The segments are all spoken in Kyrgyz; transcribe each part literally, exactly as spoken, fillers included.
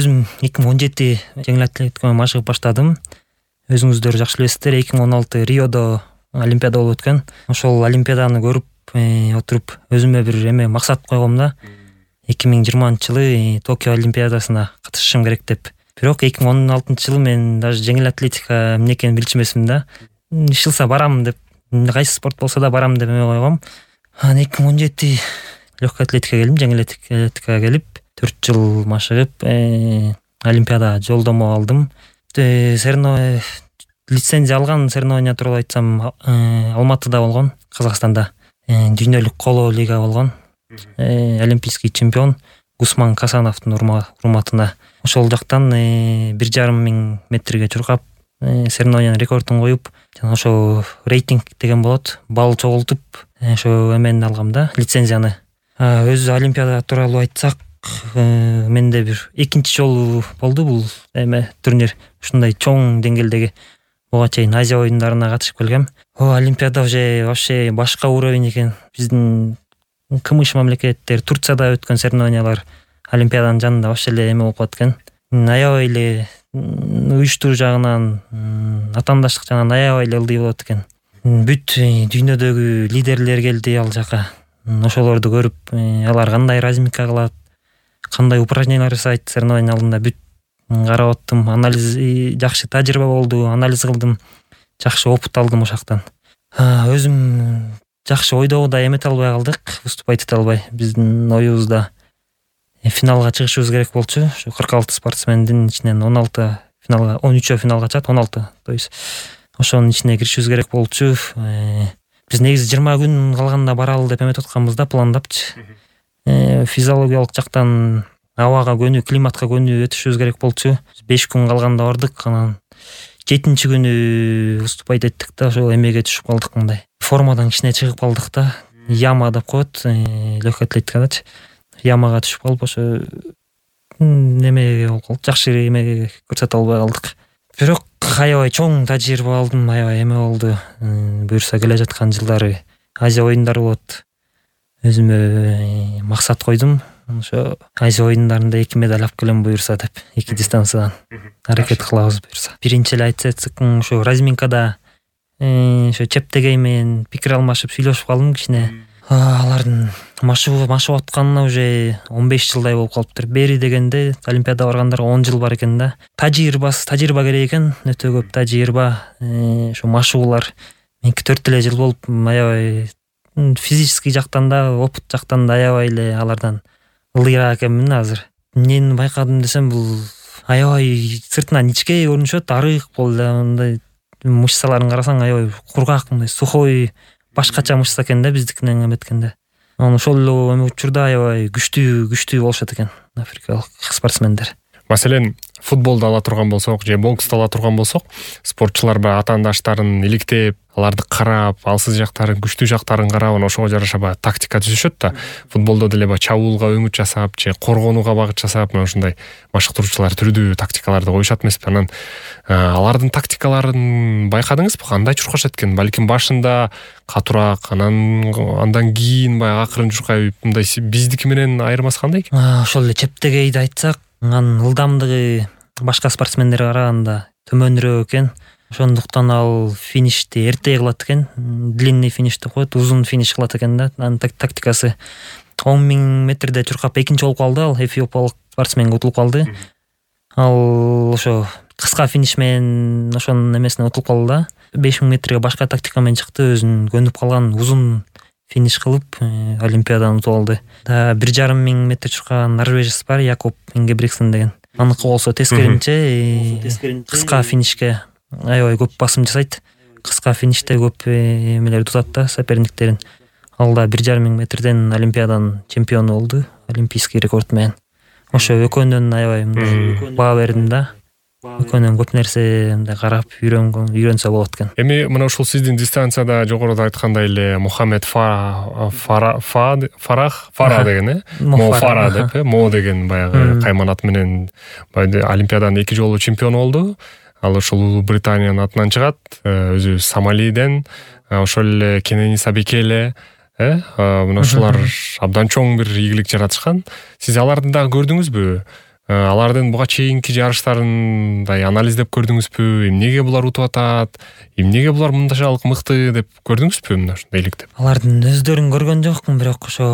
өзүм эки миң он жети жеңил атлетиканы машыгып баштадым. Өзүңүздөр жакшы билесиздер, эки миң он алты Риодо олимпиада болуп өткөн. Ошол олимпиаданы көрүп отуруп өзүмө бир эме максат койгом да. эки миң жыйырманчы жылы Токио олимпиадасына катышышым керек деп. Бирок эки миң он алтынчы жылы мен даже жеңил атлетика эмне экенин билчү эмесмин да. Ишылса барам деп, кайсы спорт болсо да барам деп эме койгом. Анан эки миң он жети легкая атлетикага келдим, жеңил атлетикага келип төрт жыл машыгып олимпиада жолдомо алдым. Соревнование лицензия алган соревнования тууралуу айтсам, Алматыда болгон, Казакстанда. Дүйнөлүк коло лига болгон. Олимпийский чемпион Гусман Касановдун урматына. Ошол жактан бир жарым миң метрге чуркап соревнованиянын рекордун коюп, жана ошо рейтинг деген болот, балл чогултуп, ошо эмени алгам да, лицензияны. Өзү олимпиада тууралуу айтсак, менде бир экинчи жолу болду бул эме турнир. Ушундай чоң деңгээлдеги буга чейин Азия оюндарына катышып келгем. О, олимпиада уже вообще башка уровень экен. Биздин кымыш мамлекеттер, Турцияда өткөн соревнованиялар олимпиаданын жанында вообще эле эме болуп калат экен. Аябай эле уюштуруу жагынан, атаандаштык жагынан аябай эле ылдый болот экен. Бүт дүйнөдөгү лидерлер келди ал жака. Ошолорду көрүп, алар кандай разминка кылат, кандай упражнениялар жасайт соревнования алдында бүт карап оттум. Анализ жакшы тажрыйба болду, анализ кылдым, жакшы опыт алдым ошактан. Өзүм жакшы ойдогудай эмете албай калдык, выступать эте албай. Биздин оюбузда финалга чыгышыбыз керек болчу. Ошо кырк алты спортсмендин ичинен он алты финалга, он үчөө финалга чыгат, он алты. То есть ошонун ичине киришибиз керек болчу. Биз негизи жыйырма күн калганда баралы деп эметип атканбыз да, пландапчы. Физиологиялык жактан абага көнүү, климатка көнүү өтүшүбүз керек болчу. беш күн калганда бардык, анан жетинчи күнү выступать эттик да, ошо эмеге түшүп калдык мындай. Формадан кичине чыгып калдык да. Яма деп коет, легкая атлетикадачы. Ямага түшүп калып, ошо немеге болуп калды, жакшы эмеге көрсөтө албай калдык. Бирок аябай чоң тажрыйба алдым, аябай эме болду. Буюрса келе жаткан жылдары Азия оюндары болот. Өзүмө максат койдум. Ошо Азия оюндарында эки медаль алып келем буюрса деп, эки дистанциядан аракет кылабыз буюрса. Биринчи эле айтсак, ошо разминкада ошо чептегей менен пикир алмашып сүйлөшүп калдым кичине. Алардын машыгып машыгып атканына уже он беш жылдай болуп калыптыр. Бери дегенде олимпиада баргандарга он жыл бар экен да. Тажрыйбасы, тажрыйба керек экен, өтө көп тажрыйба. Ошо машыгуулар меники төрт эле жыл болуп, аябай физический жактан да, опыт жактан да аябай эле алардан ылдыйраак экенмин азыр. Эмнени байкадым десем, бул аябай сыртынан ичке көрүнүшөт, арык болду, мындай мышцаларын карасаң аябай кургак, мындай сухой, башкача мышца экен да биздикинен эметкенде. Анан ошол эле учурда аябай күчтүү, күчтүү болушат экен африкалык спортсмендер. Маселен, футболду ала турган болсок, же боксту ала турган болсок, спортчулар баягы атаандаштарын иликтеп, аларды карап, алсыз жактарын, күчтүү жактарын карап, ошого жараша баягы тактика түзүшөт да. Футболдо деле баягы чабуулга өңүт жасап, же коргонууга багыт жасап, мына ушундай машыктыруучулар түрдүү тактикаларды коюшат эмеспи? Анан алардын тактикаларын байкадыңызбы? Кандай чуркашат экен? Балким башында катуураак, анан андан кийин баягы акырын чуркайып, мындай биздики менен айырмасы кандай экен? Ошол эле чептегейди айтсак, анын ылдамдыгы башка спортсмендерге караганда төмөнүрөөк экен. Ошондуктан ал финишти эрте кылат экен. Длинный финиш деп коет, узун финиш кылат экен да. Анын тактикасы он миң метрде чуркап экинчи болуп калды ал, эфиопиялык спортсменге утулуп калды. Ал ошо кыска финиш менен ошонун эмесине утулуп калды да. беш миң метрге башка тактика менен чыкты, өзүнүн көнүп калган узун финиш кылып олимпиаданы утуп алды. Да бир жарым миң метр чуркаган норвежец бар, Якоб Ингебригтсен деген. Аныкы болсо тескеринче кыска финишке аябай көп басым жасайт. Кыска финиште көп эмелер тутат да, соперниктерин. Ал да бир жарым миң метрден олимпиаданын чемпиону болду, олимпийский рекорд менен. Ошо экөөнүн аябай мындай баа бердим да. Экөөнүн көп нерсе мындай карап үйрөнгөн, үйрөнсө болот экен. Эми мына ушул сиздин дистанцияда жогоруда айткандай эле Мухаммед Фара Фарах Фара деген э? Мо Фара деп э? Мо деген баягы кайманат менен олимпиаданын эки жолу чемпиону болду. Ал ушул Улуу Британиянын атынан чыгат, өзү Сомалиден, ошол эле Кенениса Бекеле, э? Мына ушулар абдан чоң бир ийгилик жаратышкан. Сиз аларды дагы көрдүңүзбү? алардын буга чейинки жарыштарын мындай анализдеп көрдүңүзбү? Эмнеге булар утуп атат? Эмнеге булар мындайчалык мыкты деп көрдүңүзбү мына ушундай электеп? Алардын өздөрүн көргөн жокмун, бирок ошо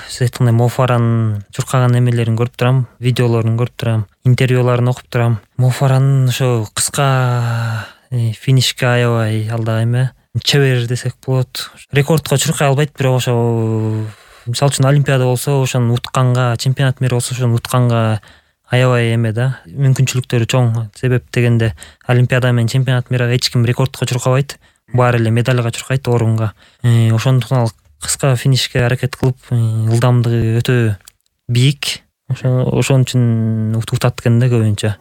сиз айткандай Мофаранын чуркаган эмелерин көрүп турам, видеолорун көрүп турам, интервьюларын окуп турам. Мофаранын ошо кыска финишке аябай алда эме чебер десек болот. Рекордко чуркай албайт, бирок ошо мисалы үчүн Олимпиада болсо ошону утканга, чемпионат мира болсо ошону утканга аябай эме да, мүмкүнчүлүктөрү чоң. Себеп дегенде Олимпиада менен чемпионат мирага эч ким рекордко чуркабайт, баары эле медальга чуркайт, орунга. Ошондуктан ал кыска финишке аракет кылып, ылдамдыгы өтө бийик. Ошо ошон үчүн утат экен да көбүнчө.